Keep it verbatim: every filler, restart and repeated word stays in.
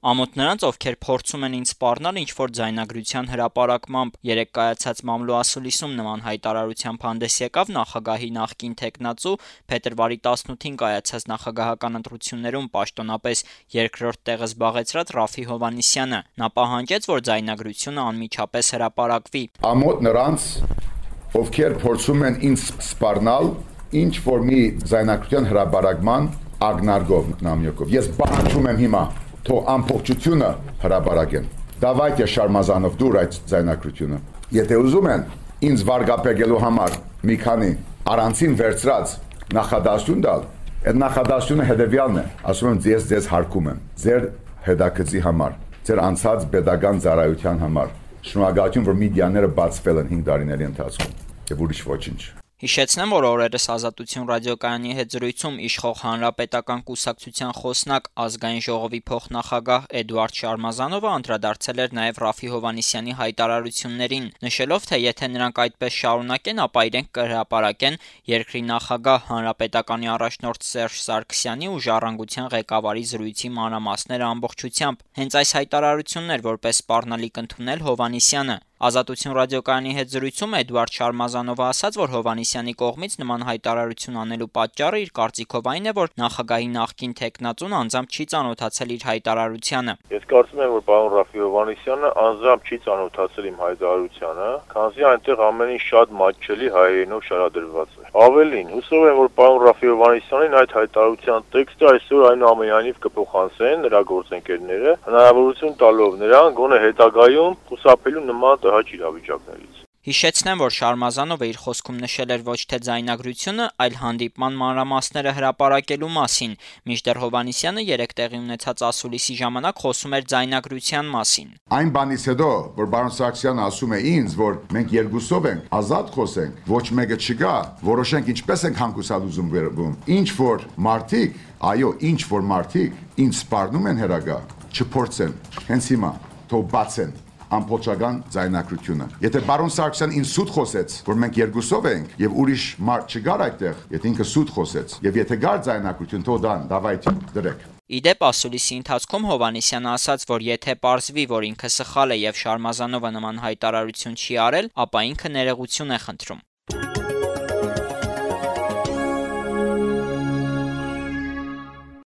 Ամոթ նրանց, ովքեր փորձում են ինձ սպառնալ ինչ-որ ձայնագրության հրապարակմամբ։ Երեկ կայացած մամլո ասուլիսում նման հայտարարությամբ հանդես եկավ նախագահի նախկին թեկնածու, փետրվարի տասնութին կայացած նախագահական ընտրություններում պաշտոնապես երկրորդ տեղը զբաղեցրած Ռաֆֆի Հովհաննիսյանը։ Նա պահանջեց, որ ձայնագրությունը անմիջապես հրապարակվի։ Ամոթ նրանց, ովքեր փորձում են ինձ սպառնալ ինչ-որ մի ձայնագրության հրապարակման ակնարկով նամյակով։ Ես պահանջում եմ հիմա թող ամբողջությունը հրապարակեն։ Դավայտե Շարմազանով դուր այդ ձայնագրությունը։ Եթե ուզում են ինձ վարկապեկելու համար մի քանի առանցին վերցրած նախադասություն տալ, այդ նախադասությունը հետևյալն է, ասում եմ ես ձեզ հարգում եմ, ձեր հետաքրքրի համար, ձեր անցած pedagogan ծառայության համար։ Շնորհակալություն, որ մեդիաները բացվել են հինգ տարիների ընթացքում եւ ուրիշ ոչինչ։ Հիշեցնեմ, որ օրերս Ազատություն ռադիոկայանի հետ զրույցում իշխող Հանրապետական կուսակցության խոսնակ Ազգային ժողովի փոխնախագահ Էդուարդ Շարմազանովը անդրադարձել էր նաև Ռաֆֆի Հովհաննիսյանի հայտարարություններին, նշելով, թե եթե նրանք այդպես շարունակեն, ապա իրենք կհրապարակեն երկրի նախագահ Հանրապետականի առաջնորդ Սերժ Սարգսյանի ու Ժառանգության ղեկավարի զրույցի մանրամասները ամբողջությամբ։ Հենց այս հայտարարությունն էր որպես սպառնալիք ընդունել Հովհաննիսյանը։ Ազատություն ռադիոկայանի հետ զրույցում Էդուարդ Շարմազանովը ասաց, որ Հովհաննիսյանի կողմից նման հայտարարություն անելու պատճառը իր կարծիքով այն է, որ նախագահի նախկին թեկնածուն անձամբ չի ծանոթացել իր հայտարարությանը։ Ես կարծում եմ, որ պարոն Ռաֆֆի Հովհաննիսյանը անձամբ չի ծանոթացել իմ հայտարարությանը, քանզի այնտեղ ամեն ինչ շատ մատչելի հայերենով շարադրված է։ Ավելին, հուսով եմ, որ պարոն Ռաֆֆի Հովհաննիսյանին այդ հայտարարության տեքստը այսօր այնուամենայնիվ կփոխանցեն նրա գործընկերները, հնարավորություն տալով նրան գոնե հետագայում խուսափելու նման տհաճ իրավիճակներից։ Հիշեցնեմ, որ Շարմազանովը իր խոսքում նշել էր ոչ թե ձայնագրությունը, այլ հանդիպման մանրամասները հրապարակելու մասին, մինչդեռ Հովհաննիսյանը երեկ տեղի ունեցած ասուլիսի ժամանակ խոսում էր ձայնագրության մասին։ Այն բանից հետո, որ պարոն Սարգսյանը ասում է ինձ, որ մենք երկուսով ենք, ազատ խոսենք, ոչ մեկը չգա, որոշենք ինչպես ենք հանգուցալ ուզում վերվում։ Ինչ որ մարդիկ, այո, ինչ որ մարդիկ ինձ սպառնում են հերագա, չփորձեն, հենց հիմա թող բացեն ամբողջական ձայնագրությունը։ Եթե պարոն Սարգսյան ինձ սուտ խոսեց, որ մենք երկուսով ենք եւ ուրիշ մարդ չգար այդտեղ, եթե ինքը սուտ խոսեց, եւ եթե գար ձայնագրություն, թող դան, դավայտի դրեք։ Իդեպ ասուլիսի ընթացքում Հովհաննիսյանը ասաց, որ եթե պարզվի, որ ինքը սխալ է եւ Շարմազանովը նման հայտարարություն չի արել, ապա ինքը ներողություն է խնդրում։